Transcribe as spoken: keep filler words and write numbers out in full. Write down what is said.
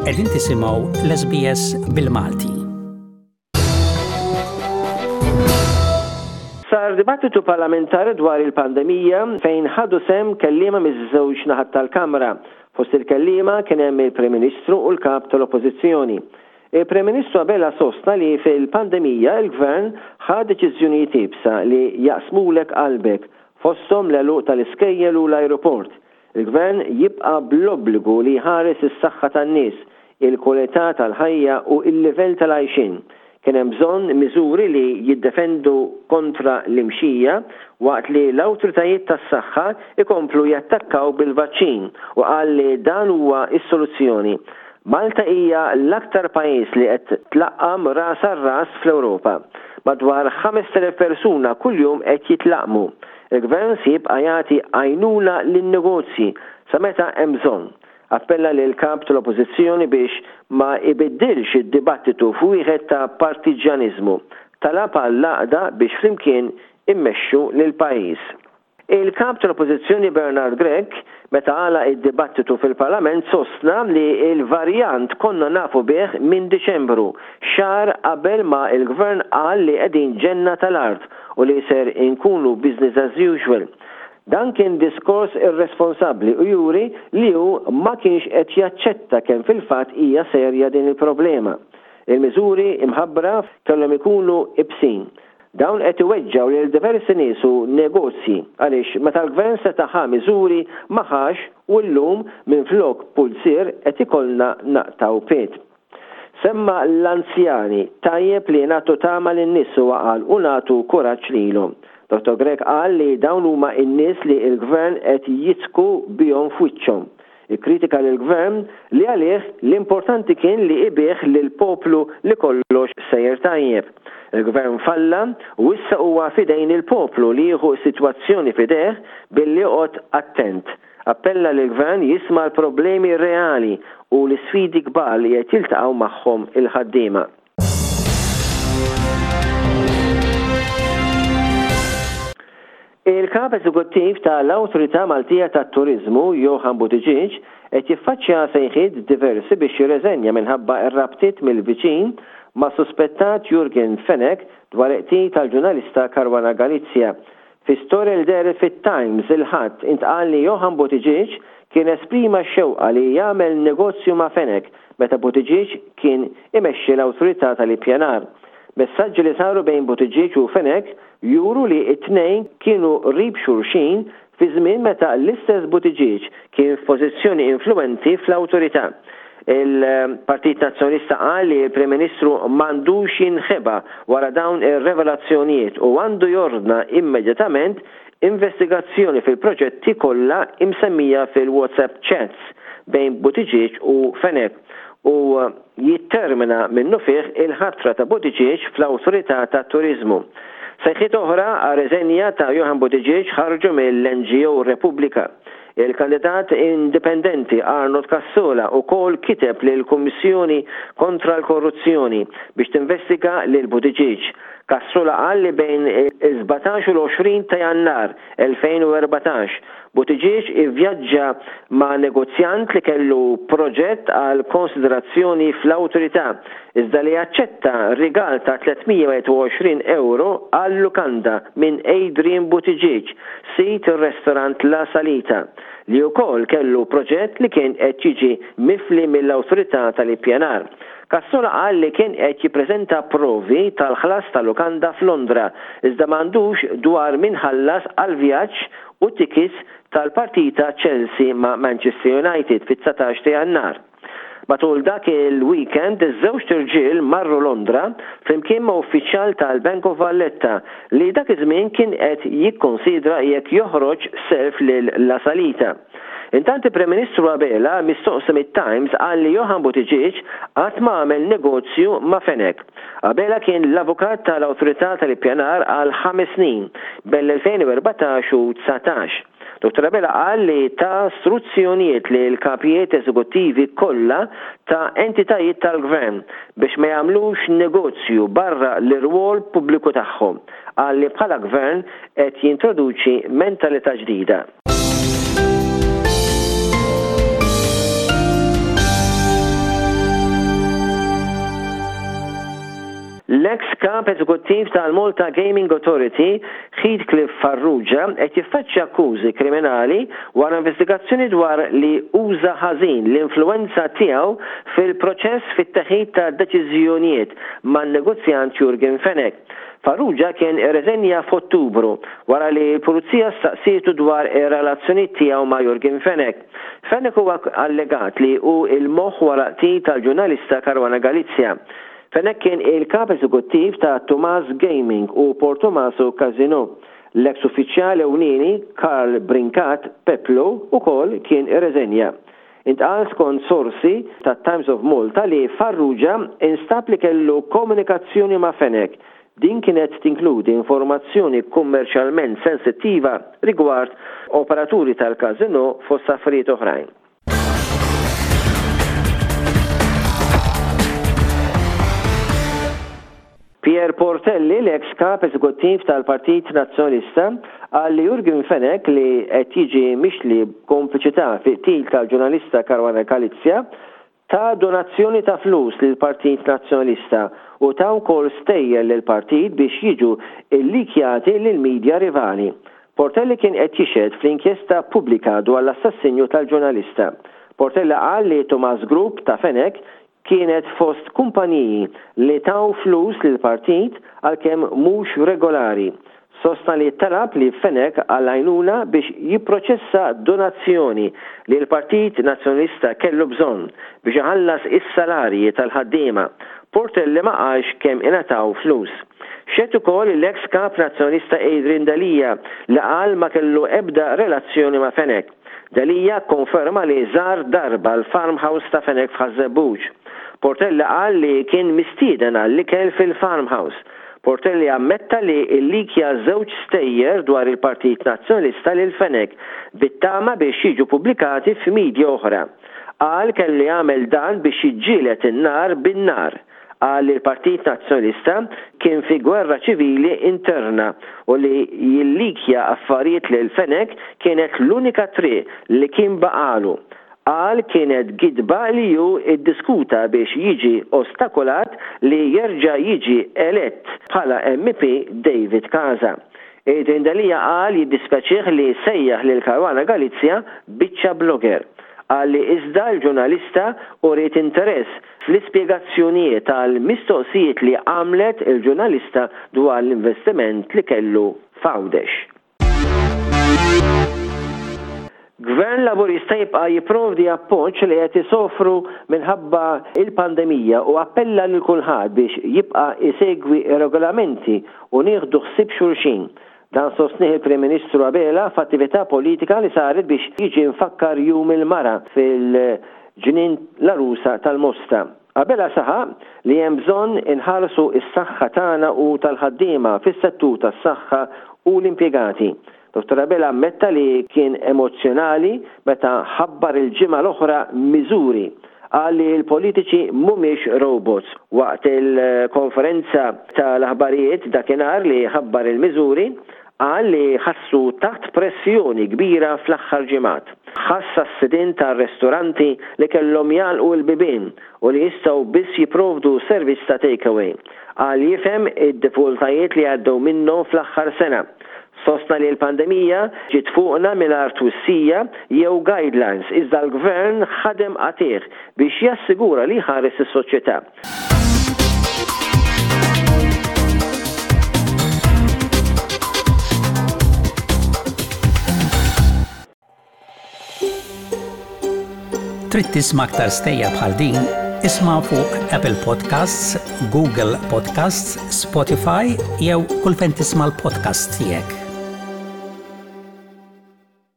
Qegħdin tisimgħu l-S B S bil-Malti. Sar dibattitu parlamentari dwar il-pandemija fejn ħadu sehem kelliema miż-żewġ naħat tal-Kamra. Fost il-kelliema kien hemm il-Prim Ministru u l-Kap tal-Oppożizzjoni. Il-Prim Ministru Abela sostna li fil-pandemija il-Gvern ħa deċiżjonijiet iebsa li jaqsmulek qalbek, fosthom l-għeluq tal-iskejjel u l-ajruport. Il-Gvern jibqa' bl-obbligu li jħares is-saħħa tan-nies, il-kwalità tal-ħajja u il-livell tal-għajxin. Kien hemm bżonn miżuri li jiddefendu kontra l-imxija waqt li l-awtoritajiet tas-saħħa ikomplu jattakkaw bil-vaċċin u qal li dan huwa is-soluzzjoni. Malta hija l-aktar pajjiż li qed tlaqqam ras ras fl-Ewropa. Madwar ħamest elef persuna kuljum qed jitlaqmu. Il-gvern se jibqa' jagħti għajnuna lin-negozji sa meta hemm bżonn. Appella lil kap tal-Oppożizzjoni biex ma ibiddilx id-dibattitu f'wieħed ta' partiġjaniżmu. Talab għall-għaqda biex flimkien immexxu lil pajjiż. Il-kap tal-Oppożizzjoni Bernard Grech, meta għalaq id-dibattitu fil-Parlament, sostna li il-varjant konna nafu bih minn Diċembru, xahar qabel ma il-gvern qal li qegħdin ġenna tal-art u li ser inkunu business as usual. Dan kien diskors irresponsabbli u juri li hu ma kienx qed jaċċetta kemm fil-fatt hija serja din il-problema. Il-miżuri imħabbra kellhom ikunu ibsin. Dawn qed iweġġgħu lil diversi nies u negozji għaliex meta l-gvern seta' ħa miżuri ma ħax u llum minflok pulzier qed ikollna naqtgħu pied. Semma l-anzjani. Tajjeb li nagħtu tama lin-nies, u qal, u nagħtu kuraġġ lilhom. Dottor Grech qal li dawn huma n-nies li l-gvern qed jidħku bihom f'wiċċhom. Ikkritika lill-gvern li għalih l-importanti kien li ibigħ lil poplu li kollox sejjer tajjeb. Il-gvern falla u issa huwa fidejn il-poplu li jieħu sitwazzjoni fideh billi joqgħod attent. Appella li l-gvern jisma' l-problemi reali u l-sfidi kbar li qed jiltaqgħu magħhom il-ħaddiema. Il-kap eżekuttiv tal-Awtorità Maltija tat-Turizmu, Johann Buttigieg, qed jiffaċċja sejħiet diversi biex jirreżenja minħabba r-rabtiet mill-viċin ma' suspettat Yorgen Fenech dwar qtil tal-ġurnalista Caruana Galizia. Fi storja li dehret fit-Times il-Ħadd intqal li Johann Buttigieg kien esprima xewqa li jagħmel negozju ma' Fenech meta Buttigieg kien imexxi l-Awtorità tal-Ippjanar. Messaġġi li saru bejn Buttigieg u Fenech juru li it-tnejn kienu qrib xulxin fi żmien meta l-istess Buttigieg kien f'pożizzjoni influenti fl-awtorità. Il-Partit Nazzjonalista qal li l-Prim Ministru m'għandux jinħeba wara dawn ir-revelazzjonijiet u għandu jordna immedjatament investigazzjoni fil-proġetti kollha imsemmija fil-WhatsApp chats bejn Buttigieg u Fenech u jittermina minnufih il-ħatra ta' Buttigieg fl-Awtorità ta' Turizmu. Sejħiet oħra għar-riżenja ta' Johann Buttigieg ħarġu mill-N G O Repubblika. Il-kandidat indipendenti Arnold Cassola ukoll kiteb lil Kummissjoni kontra l-Korruzzjoni biex tinvestiga lil Buttigieg. Cassola qal li bejn il-sbatax u l-għoxrin ta' Jannar elfejn u erbatax Buttigieg ivvjaġġa ma' negozjant li kellu proġett għal konsiderazzjoni fl-awtorità, iżda li aċċetta rigal ta' tliet mija u wieħed u għoxrin euro għal lukanda minn Adrian Buttigieg, sid il-restorant La Salita, li wkoll kellu proġett li kien qed jiġi mifli mill-awtorità tal-ippjanar. Cassola qal li kien qed jippreżenta provi tal-ħlas tal-lukanda f'Londra, iżda m'għandux dwar min ħallas għal vjaġġ u tickets tal-partita Chelsea ma' Manchester United fit-dsatax ta' Jannar. Matul dak il-weekend, iż-żewġ irġiel marru Londra flimkien ma' uffiċjal tal-Bank of Valletta li dak iż-żmien kien qed jikkonsidra jekk joħroġ self lil La Salita. Intant, il-Prim Ministru Abela, mistoqsi mit-Times, qal li Johann Buttigieg qatt ma għamel negozju ma' Fenech. Abela kien l-avukat tal-Awtorità tal-Ippjanar għal ħames snin bejn l-elfejn u erbatax u dsatax. Dottor Abela qal li ta struzzjonijiet lil kapijiet eżekuttivi kollha ta' entitajiet tal-gvern biex ma jagħmlux negozju barra l-irwol pubbliku tagħhom. Qal li bħala gvern qed jintroduċi mentalità ġdida. L-eks kap eżekuttiv tal-Malta Gaming Authority, Heathcliff Farrugia, qed jiffaċċja akkużi kriminali wara investigazzjoni dwar li uża ħażin l-influwenza tiegħu fil-proċess fit-teħid ta' deċiżjonijiet man-negozjant Yorgen Fenech. Farrugia kien irreżenja f'Ottubru wara li l-pulizija staqsietu dwar ir-relazzjoni tiegħu ma' Yorgen Fenech. Fenech huwa allegat li hu il-moħħ wara qtil tal-ġurnalista Caruana Galizia. Fenech kien il-kap eżekuttiv ta' Tumas Gaming u Portomaso Casino. L-eks uffiċjali ewlieni Karl Brincat Peplo ukoll kien irreżenja. Intqal skont sorsi ta' Times of Malta li Farrugia instab li kellu komunikazzjoni ma' Fenech. Din kienet tinkludi informazzjoni kummerċjalment sensittiva rigward operaturi tal-casino fost affarijiet oħrajn. Pierre Portelli, l-ex kap eżekuttiv tal-Partit Nazzjonalista, qal li Yorgen Fenech, li qed jiġi mixli b'kompliċità fi qtil tal-ġurnalista Caruana Galizia, ta donazzjoni ta' flus lill-Partit Nazzjonalista u ta wkoll stejjer lill-partit biex jiġu illikjati lil-medja rivali. Portelli kien qed jixhed fl-inkjesta pubblika dwar l-assassinju tal-ġurnalista. Portelli qal li Tumas Group ta' Fenech kienet fost kumpaniji li taw flus lill-partit għalkemm mhux regolari. Sostna li talab li Fenech għal-għajnuna biex jipproċessa donazzjoni li l-Partit Nazzjonalista kellu bżonn biex iħallas is-salarji tal-ħaddiema. Portelli ma qalx kemm ingħataw flus. Xehed ukoll l-ex kap nazzjonalista Adrian Delia li qal ma kellu ebda relazzjoni ma' Fenech. Delia konferma li żar darba l-farmhouse ta' Fenech f'Ħaż-Żebbuġ. Portelli qal li kien mistieden għall-ikel fil-farmhouse. Portelli ammetta li illikja żewġ stejjer dwar il-Partit Nazzjonalista lil Fenech bit-tama biex jiġu pubblikati f'medja oħra. Qal kellu jagħmel dan biex jiġġieled in-nar bin-nar. Qal li l-Partit Nazzjonalista kien fi gwerra ċivili interna u li jillikja affarijiet lil Fenech kienet l-unika triq li kien baqalu. Qal kienet gidba li hu iddiskuta biex jiġi ostakolat li jerġa' jiġi elett bħala M P David Casa. Adrian Delia qal jiddispjaċih li sejjaħ lil Caruana Galizia biċċa blogger. Qal li iżda l-ġurnalista uriet interess fl-ispjegazzjonijiet tal-mistoqsijiet li għamlet il-ġurnalista dwar l-investiment li kellu f'Għawdex. Gvern Laburista jibqa' jipprovdi appoġġ li qed isofru minħabba il-pandemija u appella lil kulħadd biex jibqa' isegwi regolamenti u nieħdu ħsieb xulxin. Dan sostnieh il-Prim Ministru Abela f'attività politika li saret biex jiġi mfakkar Jum il-Mara fil-Ġnien l-Għarusa tal-Mosta. Abela saħaq li hemm bżonn inħarsu s-saħħa tagħna u tal-ħaddiema fis-settur tas-saħħa u l-impjegati. Dottor Abela ammetta li kien emozjonali meta ħabbar il-ġimgħa l-oħra miżuri. Qal li l-politiċi mhumiex robots. Waqt il-konferenza tal-aħbarijiet dakinhar li ħabbar il-miżuri, qal li ħassu taħt pressjoni kbira fl-aħħar ġimgħat. Ħass għas-sidien tar-ristoranti li kellhom jagħlqu l-bibien u li jistgħu biss jipprovdu servizz ta' takeaway. Qal jifhem id-diffikultajiet li għaddew minnhom fl-aħħar sena. Sostna li l-pandemija ġiet fuqna mingħajr twissija jew guidelines, iżda l-gvern ħadem qatigħ biex jassigura li ħares is-soċjetà. Trid tisma' aktar stejjer bħal din? Isma' fuq Apple Podcasts, Google Podcasts, Spotify jew kull fejn tisma' l-podcast tiegħek.